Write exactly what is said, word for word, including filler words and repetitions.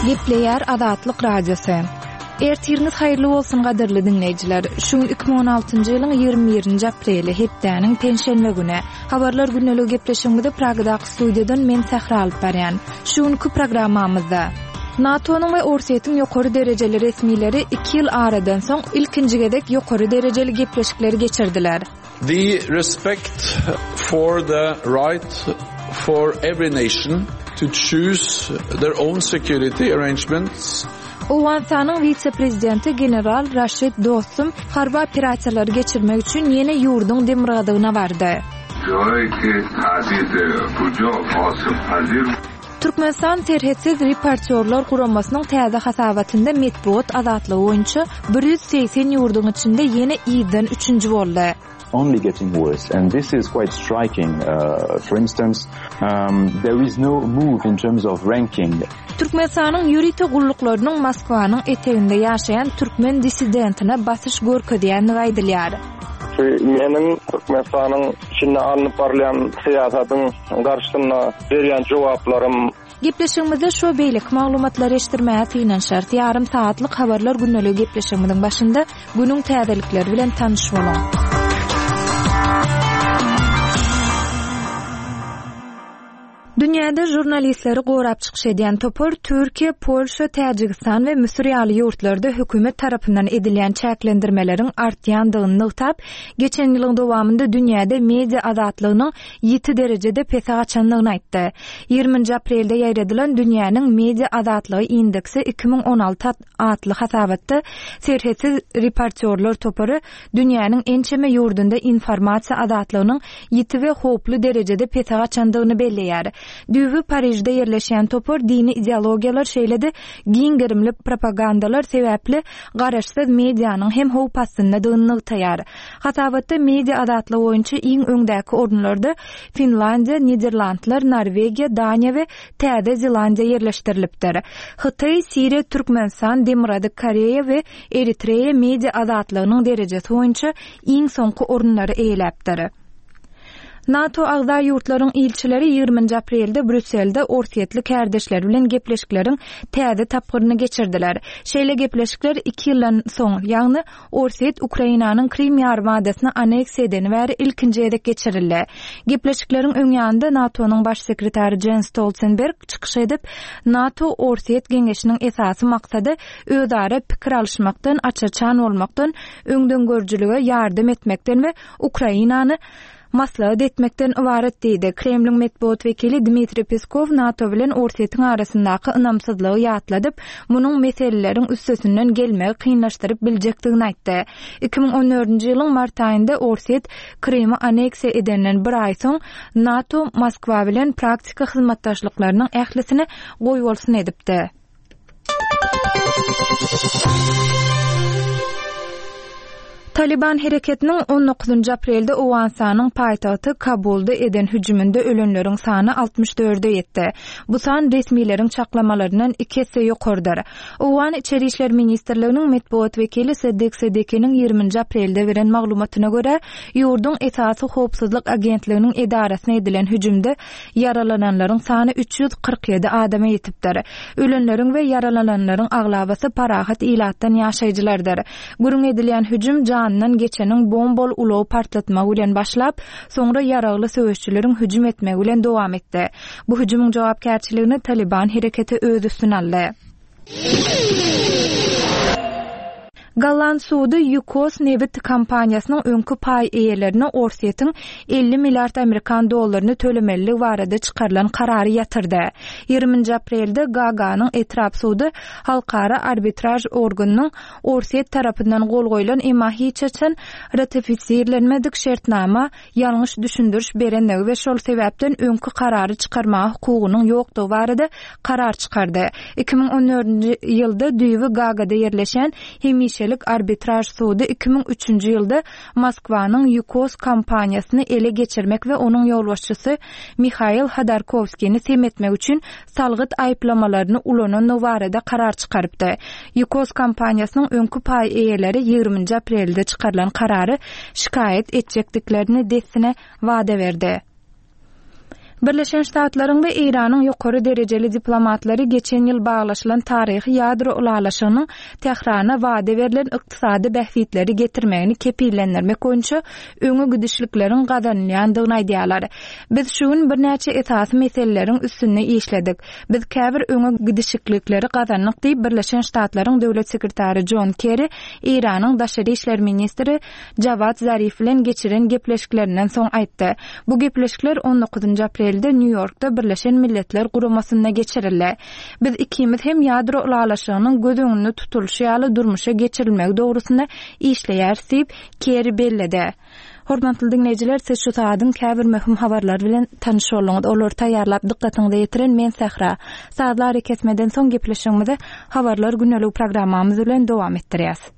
Gepleýär Azatlyk Radiosy. Ertiriňiz haýyrly bolsun gadyrly diňleýjiler. Şu gün iki müň on altynjy ýylyň ýigrimi birinji apreli, hepdäniň penşenbe güni. Habarlar gündeligi gepleşigimizi Pragadaky studiýadan men Sähra alyp barýan. Şu günki programmamyzda NATO-nyň we Orsýetiň ýokary derejeli resmileri iki ýyl aradan soň ilkinji gezek ýokary derejeli gepleşikleri geçirdiler. The respect for the right for every nation to choose their own security arrangements. Owganystanyň wise-prezidenti general Raşid Dostum harby operasiýalary geçirmek üçin ýene ýurduň demirgazygyna bardy. Türkmenistan Serhetsiz reportýorlar guramasynyň täze hasabatynda metbugat azatlygy boýunça bir ýüz segsen ýurduň içinde ýene ýyzdan üçünji boldy. Only getting worse, and this is quite striking. Uh, for instance, um, there is no move in terms of ranking. Türkmenistanyň ýörite gulluklarynyň Moskwanyň eteginde ýaşaýan türkmen dissidentine basyş görkezýändigi aýdylýar. Şu meniň Türkmenistanyň içinde alnyp barylýan syýasatyň garşysynda berýän jogaplarym. Gepleşigimizde şu beýleki maglumatlary eşitdirmäge synanyşarys. Ýarym saatlyk habarlar gündeligi gepleşigimiziň başynda günüň täzelikleri bilen tanyş boluň. Dünýäde žurnalistleri gorap çykyş edýän topar Türkiýe, Polşa, Täjigistan we Müsür ýaly ýurtlarda hökümet tarapyndan edilýän çäklendirmeleriň artýandygyny nygtap, geçen ýylyň dowamynda dünýäde media azatlygynyň ýiti derejede pese gaçandygyny aýtdy. Ýigriminji aprelde ýaýradylan Dünýäniň media azatlygy indeksi iki müň on alty atly hasabatda Serhetsiz reportýorlar topary dünýäniň ençeme ýurdunda informasiýa azatlygynyň ýiti we howply derejede pese gaçandygyny belleýär. Düýbi Parižde ýerleşýän topar dini ideologiýalar şeýle-de giň gerimli propagandalar sebäpli garaşsyz medianyň hem howp astyndadygyny nygtaýar. Hasabatda media azatlygy boýunça iň öňdäki orunlarda Finlandiýa, Niderlandlar, Norwegiýa, Daniýa we Täze Zelandiýa ýerleşdirilipdir. Hytaý, Siriýa, Türkmenistan, Demirgazyk Koreýa we Eritreýa media azatlygynyň derejesi boýunça iň soňky orunlary eýeläpdir. NATO agza ýurtlaryň ilçileri ýigriminji aprelde Brýusselde Orsýetli kärdeşleri bilen gepleşikleriň täze tapgyryny geçirdiler. Şeýle gepleşikler iki ýyldan soň, ýagny Orsýet Ukrainanyň Krim ýarymadasyny aneksiýa edeni bäri ilkinji gezek geçirildi. Gepleşikleriň öň ýanynda NATO-nyň baş sekretary Jens Stoltenberg çykyş edip, NATO Orsýet geňeşiniň esasy maksady özara pikir alyşmakdan, aç-açan bolmakdan, öňdengörüjilige ýardam etmekden we Ukrainany maslahat etmekden ybarat diýdi. Kremliň metbugat wekili Dmitriý Peskov NATO bilen Orsýetiň arasyndaky ynamsyzlygy ýatladyp, munuň meseleleriň üstesinden gelmegi kynlaşdyryp biljekdigini aýtdy. Iki müň on dördünji ýylyň mart aýynda Orsýet Krymy aneksiýa edenden bir aý soň NATO Moskwa bilen praktika hyzmatdaşlyklarynyň ählisini goýbolsun edipdi. Taliban hereketiniň on dokuzynjy aprelde Owganystanyň paýtagty Kabulda eden hüjüminde ölenleriň sany altmyş dörde ýetdi. Bu san resmileriň çaklamalaryndan iki esse ýokardyr. Owgan İçeri İşler Ministrliginiň metbugat wekili Seddik Seddikiniň ýigriminji aprelde beren maglumatyna görä, ýurduň esasy howpsuzlyk agentliginiň edarasyna edilen hüjümde ýaralananlaryň sany üç ýüz kyrk ýedi adama ýetipdir. Ölenleriň we ýaralananlaryň aglabasy parahat ilatdan ýaşaýjylardyr. Gürrüň edilýän hüjüm janyndan geçeniň bombol ulagy partlatmagy bilen başlap, soňra ýaragly söweşçileriň hüjüm etmegi bilen dowam etdi. Bu hüjümiň jogapkärçiligini Taliban hereketi öz üstüne aldy. Golland sudy Yukos nebit kompaniýasynyň öňki paý eýelerine Orsýetiň elli milliard amerikan dollaryny tölemeliligi barada çykarylan karary ýatyrdy. Ýigriminji aprelde Gaganyň etrap sudy halkara arbitraj organynyň Orsýet tarapyndan gol goýlan, emma hiç haçan ratifisirlenmedik şertnama ýalňyş düşündiriş berenligi we şol sebäpden öňki karary çykarmaga hukugynyň ýokdugy barada karar çykardy. Iki müň on dördünji ýylda düýbi Gagada ýerleşen hemişelik arbitraj sudy iki müň üçünji ýylda Moskwanyň Yukos kompaniýasyny ele geçirmek we onuň ýolbaşçysy Mihail Hodorkovskini sem etmek üçin salgyt aýyplamalaryny ulanandygy barada karar çykarypdy. Yukos kompaniýasynyň öňki paý eýeleri ýigriminji aprelde çykarylan karary şikaýat etjekdiklerini dessine wada berdi. Birleşen Ştatlaryň we Eýranyň ýokary derejeli diplomatlary geçen ýyl baglaşylan taryhy ýadro ylalaşygynyň Tährana wada berlen ykdysady bähbitleri getirmegini kepillendirmek boýunça öňe gidişlikleriň gazanylýandygyny aýdýarlar. Biz şu gün birnäçe esasy meseleleriň üstünde işledik. Biz käbir öňe gidişlikleri gazandyk diýip Birleşen Ştatlaryň döwlet sekretary John Kerry Eýranyň daşary işler ministri Jawad Zarif bilen geçiren gepleşiklerinden soň aýtdy. Bu gepleşikler on dokuzynjy aprelde Nýu-Ýorkda Birleşen Milletler Guramasynda geçirildi. Biz ikimiz hem ýadro ylalaşygynyň göz öňünde tutulyşy ýaly durmuşa geçirilmegi dogrusynda işleýäris diýip Kerry belledi. Hormatly dinleýjiler, siz şu saadyň käbir möhüm habarlary bilen tanyş bolduňyz. Olary taýýarlap dykgatyňyza ýetiren men Sähra. Sazlar kesmeden soň gepleşigimizi habarlar gündelik programmamyz bilen dowam etdirýäs.